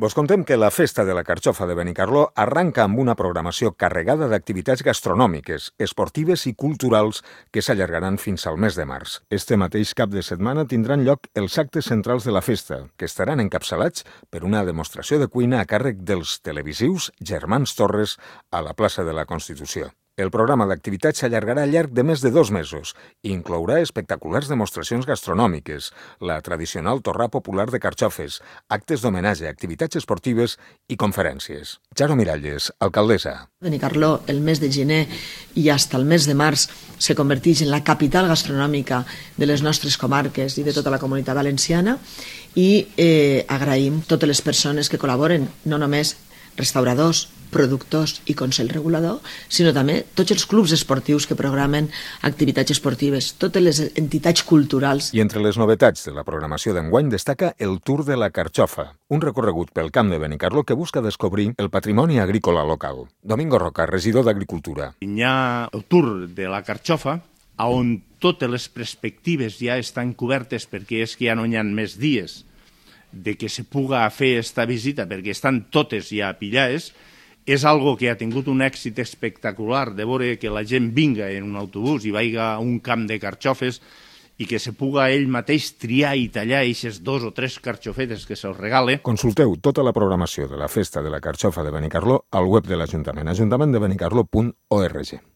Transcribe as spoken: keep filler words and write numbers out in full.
Vos contem que la Festa de la Carxofa de Benicarló arranca amb una programació carregada d'activitats gastronòmiques, esportives i culturals que s'allargaran fins al mes de març. Este mateix cap de setmana tindran lloc els actes centrals de la festa, que estaran encapçalats per una demostració de cuina a càrrec dels televisius Germans Torres a la plaça de la Constitució. El programa d'activitats s'allargarà al llarg de més de dos mesos i inclourà espectaculars demostracions gastronòmiques, la tradicional torrà popular de carxofes, actes d'homenatge, activitats esportives i conferències. Jaro Miralles, alcaldessa. Benicarló, el mes de gener i fins al mes de març, se converteix en la capital gastronòmica de les nostres comarques i de tota la comunitat valenciana i eh, agraïm totes les persones que col·laboren, no només restauradors, productors i Consell Regulador, sinó també tots els clubs esportius que programen activitats esportives, totes les entitats culturals. I entre les novetats de la programació d'enguany destaca el Tour de la Carxofa, un recorregut pel camp de Benicarló que busca descobrir el patrimoni agrícola local. Domingo Roca, regidor d'Agricultura. Hi ha el Tour de la Carxofa, on totes les perspectives ja estan cobertes perquè és que ja no hi ha més dies de que se puga fer esta visita perquè estan totes ja pillades. És algo que ha tingut un èxit espectacular de veure que la gent vinga en un autobús i vaiga a un camp de carxofes i que se puga ell mateix triar i tallar aquestes dos o tres carxofetes que se'ls regale. Consulteu tota la programació de la Festa de la Carxofa de Benicarló al web de l'Ajuntament, ajuntament de benicarló punt org.